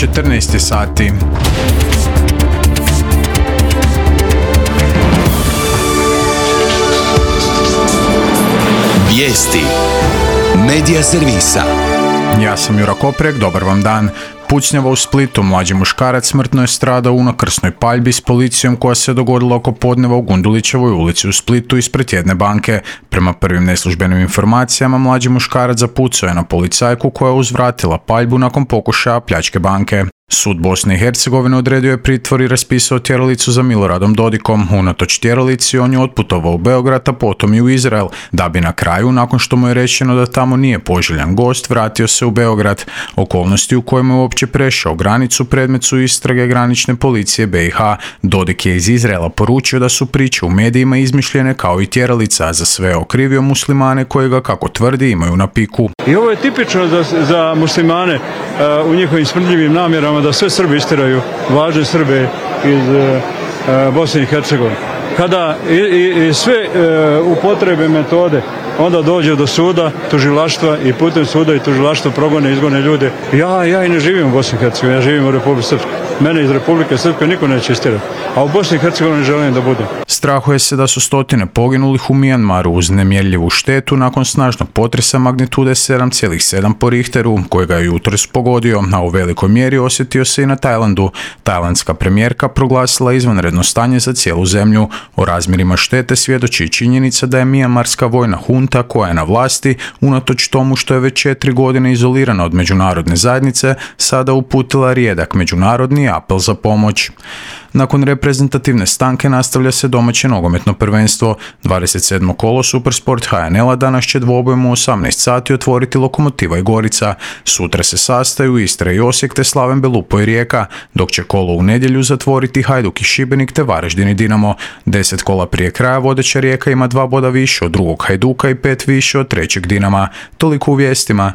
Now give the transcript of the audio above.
14 sati. Vijesti Medija servisa. Ja sam Jura Koprek, dobar vam dan. Pucnjava u Splitu, mlađi muškarac smrtno je stradao u unakrsnoj paljbi s policijom koja se dogodila oko podneva u Gundulićevoj ulici u Splitu ispred jedne banke. Prema prvim neslužbenim informacijama, mlađi muškarac zapucao je na policajku koja je uzvratila paljbu nakon pokušaja pljačke banke. Sud Bosne i Hercegovine odredio je pritvor i raspisao tjeralicu za Miloradom Dodikom. Unatoč tjeralici on je otputovao u Beograd, a potom i u Izrael, da bi na kraju, nakon što mu je rečeno da tamo nije poželjan gost, vratio se u Beograd. Okolnosti u kojima je uopće prešao granicu predmet su istrage granične policije BiH. Dodik je iz Izraela poručio da su priče u medijima izmišljene kao i tjeralica, a za sve okrivio muslimane koji ga, kako tvrdi, imaju na piku. I ovo je tipično za muslimane u njihovim smrdljivim namjerama da sve Srbi istiraju važne Srbe iz Bosne i Hercegovine. Kada i sve upotrebe metode, onda dođe do suda, tužilaštva i putem suda i tužilaštva progone, izgone ljude. Ja i ne živim u Bosni i Hercegovini, ja živim u Republike Srpskoj. Mene iz Republike Srpske niko neće istirati, a u Bosni i Hercegovini želim da budem. Strahuje se da su stotine poginulih u Mijanmaru uz nemjerljivu štetu nakon snažnog potresa magnitude 7,7 po Richteru, kojega je jutros pogodio, a u velikoj mjeri osjetio se i na Tajlandu. Tajlandska premijerka proglasila izvanredno stanje za cijelu zemlju. O razmjerima štete svjedoči činjenica da je mijanmarska vojna hunta koja je na vlasti, unatoč tomu što je već 4 godine izolirana od međunarodne zajednice, sada uputila rijedak međunarodni apel za pomoć. Nakon reprezentativne stanke nastavlja se domaće nogometno prvenstvo. 27. kolo Supersport HNL-a danas će dvobojem u 18 sati otvoriti Lokomotiva i Gorica. Sutra se sastaju Istra i Osijek te Slaven Belupo i Rijeka, dok će kolo u nedjelju zatvoriti Hajduk i Šibenik te Varaždin i Dinamo. 10 kola prije kraja vodeća Rijeka ima 2 boda više od drugog Hajduka i 5 više od trećeg Dinama. Toliko u vijestima.